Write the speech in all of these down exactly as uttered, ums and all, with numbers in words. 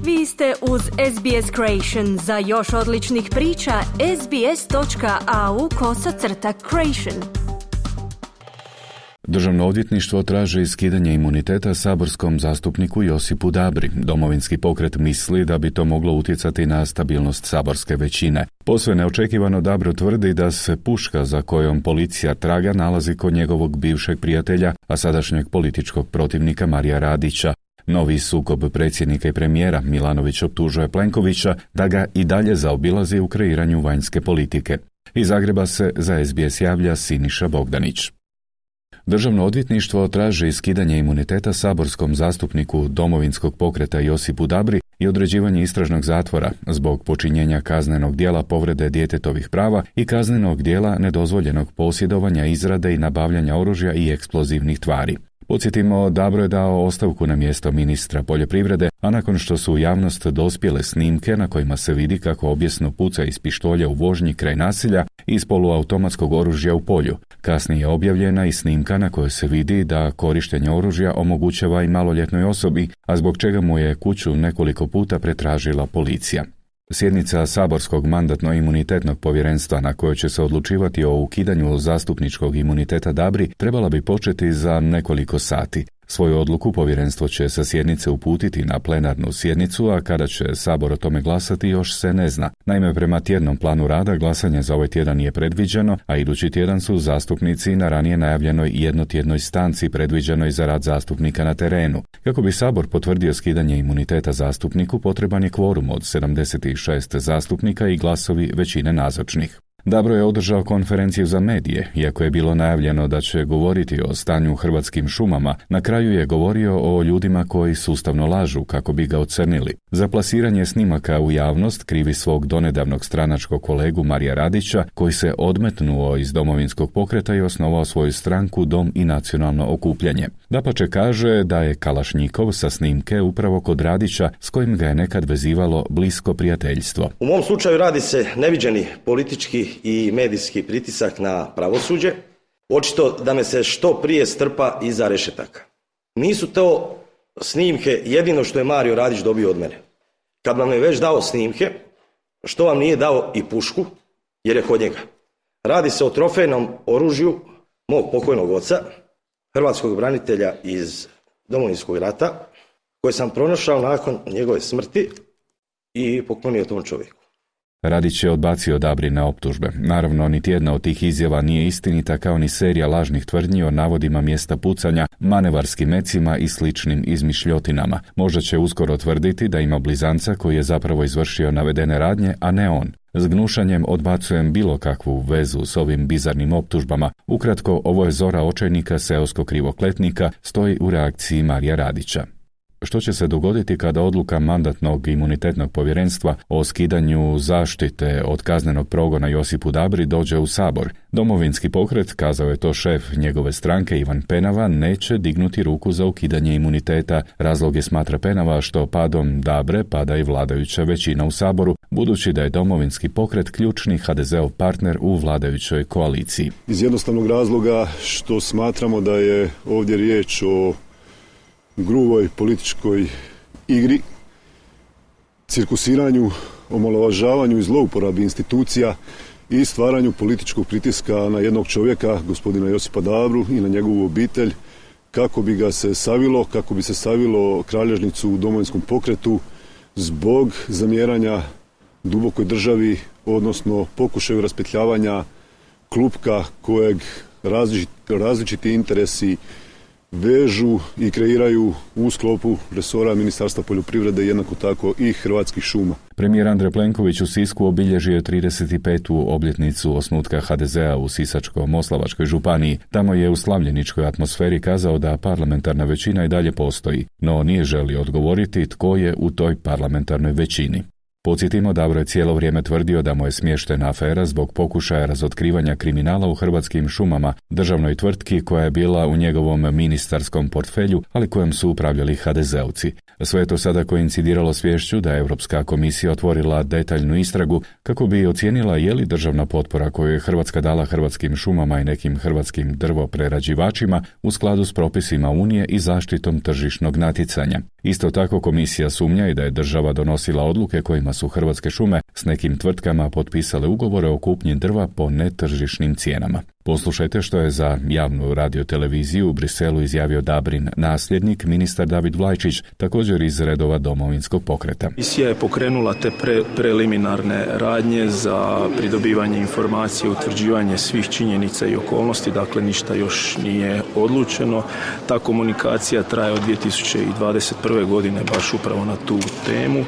Vi ste uz S B S Creation. Za još odličnih priča, sbs.au kosacrta creation. Državno odvjetništvo traži skidanje imuniteta saborskom zastupniku Josipu Dabri. Domovinski pokret misli da bi to moglo utjecati na stabilnost saborske većine. Posve neočekivano Dabro tvrdi da se puška za kojom policija traga nalazi kod njegovog bivšeg prijatelja, a sadašnjeg političkog protivnika Marija Radića. Novi sukob predsjednika i premijera Milanović optužuje Plenkovića da ga i dalje zaobilazi u kreiranju vanjske politike. Iz Zagreba se za S B S javlja Siniša Bogdanić. Državno odvjetništvo traži skidanje imuniteta saborskom zastupniku Domovinskog pokreta Josipu Dabri i određivanje istražnog zatvora zbog počinjenja kaznenog djela povrede djetetovih prava i kaznenog djela nedozvoljenog posjedovanja, izrade i nabavljanja oružja i eksplozivnih tvari. Podsjetimo, Dabro je dao ostavku na mjesto ministra poljoprivrede, a nakon što su u javnost dospjele snimke na kojima se vidi kako objesno puca iz pištolja u vožnji kraj naselja i iz poluautomatskog oružja u polju. Kasnije je objavljena i snimka na kojoj se vidi da korištenje oružja omogućava i maloljetnoj osobi, a zbog čega mu je kuću nekoliko puta pretražila policija. Sjednica saborskog mandatno-imunitetnog povjerenstva na kojoj će se odlučivati o ukidanju zastupničkog imuniteta Dabri trebala bi početi za nekoliko sati. Svoju odluku povjerenstvo će sa sjednice uputiti na plenarnu sjednicu, a kada će Sabor o tome glasati još se ne zna. Naime, prema tjednom planu rada glasanje za ovaj tjedan nije predviđeno, a idući tjedan su zastupnici na ranije najavljenoj jednotjednoj stanci predviđenoj za rad zastupnika na terenu. Kako bi Sabor potvrdio skidanje imuniteta zastupniku, potreban je kvorum od sedamdeset šest zastupnika i glasovi većine nazočnih. Dabro je održao konferenciju za medije, iako je bilo najavljeno da će govoriti o stanju u hrvatskim šumama. Na kraju je govorio o ljudima koji sustavno lažu kako bi ga ocrnili. Za plasiranje snimaka u javnost krivi svog donedavnog stranačkog kolegu Marija Radića, koji se odmetnuo iz Domovinskog pokreta i osnovao svoju stranku Dom i nacionalno okupljanje. Dapače kaže da je kalašnjikov sa snimke upravo kod Radića, s kojim ga je nekad vezivalo blisko prijateljstvo. U mom slučaju radi se neviđeni politički i medijski pritisak na pravosuđe, očito da me se što prije strpa iza rešetaka. Nisu to snimke jedino što je Mario Radić dobio od mene. Kad vam je već dao snimke, što vam nije dao i pušku, jer je kod njega. Radi se o trofejnom oružju mog pokojnog oca, hrvatskog branitelja iz Domovinskog rata, koje sam pronašao nakon njegove smrti i poklonio tom čovjeku. Radić je odbacio Dabrine optužbe. Naravno, niti jedna od tih izjava nije istinita, kao ni serija lažnih tvrdnji o navodima mjesta pucanja, manevarskim mecima i sličnim izmišljotinama. Možda će uskoro tvrditi da ima blizanca koji je zapravo izvršio navedene radnje, a ne on. S gnušanjem odbacujem bilo kakvu vezu s ovim bizarnim optužbama. Ukratko, ovo je zora očajnika seoskog krivokletnika, stoji u reakciji Marija Radića. Što će se dogoditi kada odluka mandatnog imunitetnog povjerenstva o skidanju zaštite od kaznenog progona Josipu Dabri dođe u Sabor? Domovinski pokret, kazao je to šef njegove stranke Ivan Penava, neće dignuti ruku za ukidanje imuniteta. Razlog je, smatra Penava, što padom Dabre pada i vladajuća većina u Saboru, budući da je Domovinski pokret ključni ha de zeov partner u vladajućoj koaliciji. Iz jednostavnog razloga što smatramo da je ovdje riječ o gruboj političkoj igri, cirkusiranju, omalovažavanju i zlouporabi institucija i stvaranju političkog pritiska na jednog čovjeka, gospodina Josipa Dabru, i na njegovu obitelj, kako bi ga se savilo, kako bi se savilo kralježnicu u Domovinskom pokretu zbog zamjeranja dubokoj državi, odnosno pokušaju raspetljavanja klupka kojeg različiti, različiti interesi vežu i kreiraju u sklopu resora Ministarstva poljoprivrede, jednako tako i Hrvatskih šuma. Premijer Andrej Plenković u Sisku obilježio je trideset petu obljetnicu osnutka ha de zea u Sisačko-moslavačkoj županiji. Tamo je u slavljeničkoj atmosferi kazao da parlamentarna većina i dalje postoji, no nije želio odgovoriti tko je u toj parlamentarnoj većini. Podsjetimo, Dabro je cijelo vrijeme tvrdio da mu je smještena afera zbog pokušaja razotkrivanja kriminala u Hrvatskim šumama, državnoj tvrtki koja je bila u njegovom ministarskom portfelju, ali kojem su upravljali ha de zeovci. Sve je to sada koincidiralo s viješću da je Europska komisija otvorila detaljnu istragu kako bi ocijenila je li državna potpora koju je Hrvatska dala Hrvatskim šumama i nekim hrvatskim drvoprerađivačima u skladu s propisima Unije i zaštitom tržišnog natjecanja. Isto tako komisija sumnja i da je država donosila odluke kojima su Hrvatske šume s nekim tvrtkama potpisale ugovore o kupnji drva po netržišnim cijenama. Poslušajte što je za javnu radioteleviziju u Briselu izjavio Dabrin nasljednik, ministar David Vlajčić, također iz redova Domovinskog pokreta. Komisija je pokrenula te pre, preliminarne radnje za pridobivanje informacije, utvrđivanje svih činjenica i okolnosti, dakle ništa još nije odlučeno. Ta komunikacija traje od dvije tisuće dvadeset prve. godine baš upravo na tu temu.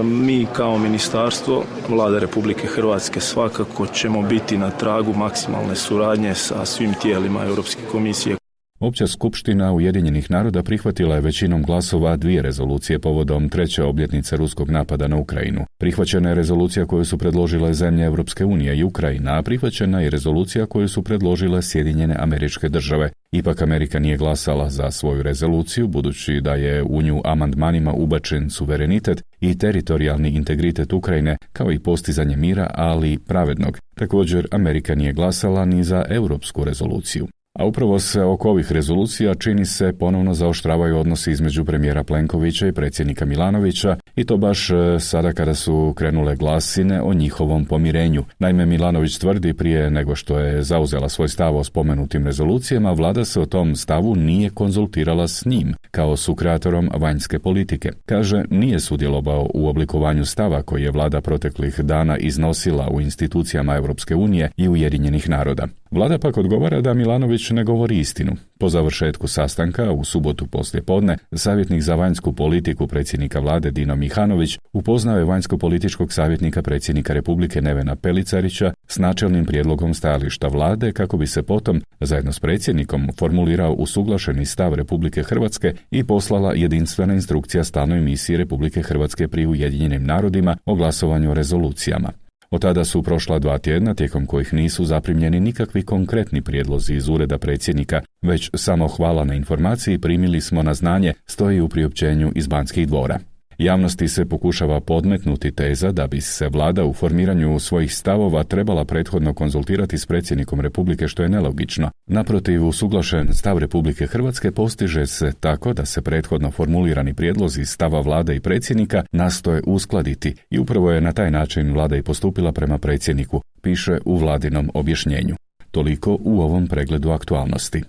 Mi kao ministarstvo, Vlada Republike Hrvatske svakako ćemo biti na tragu maksimalne suradnje sa svim tijelima Europske komisije. Opća skupština Ujedinjenih naroda prihvatila je većinom glasova dvije rezolucije povodom treće obljetnice ruskog napada na Ukrajinu. Prihvaćena je rezolucija koju su predložile zemlje Europske unije i Ukrajina, a prihvaćena je rezolucija koju su predložile Sjedinjene Američke Države. Ipak Amerika nije glasala za svoju rezoluciju, budući da je u nju amandmanima ubačen suverenitet i teritorijalni integritet Ukrajine, kao i postizanje mira, ali pravednog. Također, Amerika nije glasala ni za europsku rezoluciju. A upravo se oko ovih rezolucija čini se ponovno zaoštravaju odnosi između premijera Plenkovića i predsjednika Milanovića, i to baš sada kada su krenule glasine o njihovom pomirenju. Naime, Milanović tvrdi prije nego što je zauzela svoj stav o spomenutim rezolucijama, vlada se o tom stavu nije konzultirala s njim, kao sukreatorom vanjske politike. Kaže, nije sudjelovao u oblikovanju stava koji je vlada proteklih dana iznosila u institucijama Europske unije i Ujedinjenih naroda. Vlada pak odgovara da Milanović ne govori istinu. Po završetku sastanka u subotu poslijepodne, savjetnik za vanjsku politiku predsjednika vlade Dino Mihanović upoznao je vanjsko-političkog savjetnika predsjednika Republike Nevena Pelicarića s načelnim prijedlogom stajališta vlade kako bi se potom, zajedno s predsjednikom, formulirao usuglašeni stav Republike Hrvatske i poslala jedinstvena instrukcija stalnoj misiji Republike Hrvatske pri Ujedinjenim narodima o glasovanju o rezolucijama. Od tada su prošla dva tjedna tijekom kojih nisu zaprimljeni nikakvi konkretni prijedlozi iz ureda predsjednika, već samo hvala na informaciji primili smo na znanje, stoji u priopćenju iz Banskih dvora. Javnosti se pokušava podmetnuti teza da bi se vlada u formiranju svojih stavova trebala prethodno konzultirati s predsjednikom Republike, što je nelogično. Naprotiv, usuglašen stav Republike Hrvatske postiže se tako da se prethodno formulirani prijedlozi stava vlade i predsjednika nastoje uskladiti i upravo je na taj način vlada i postupila prema predsjedniku, piše u vladinom objašnjenju. Toliko u ovom pregledu aktualnosti.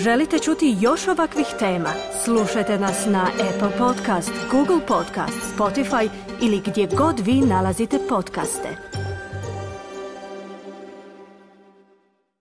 Želite čuti još ovakvih tema? Slušajte nas na Apple Podcast, Google Podcast, Spotify ili gdje god vi nalazite podcaste.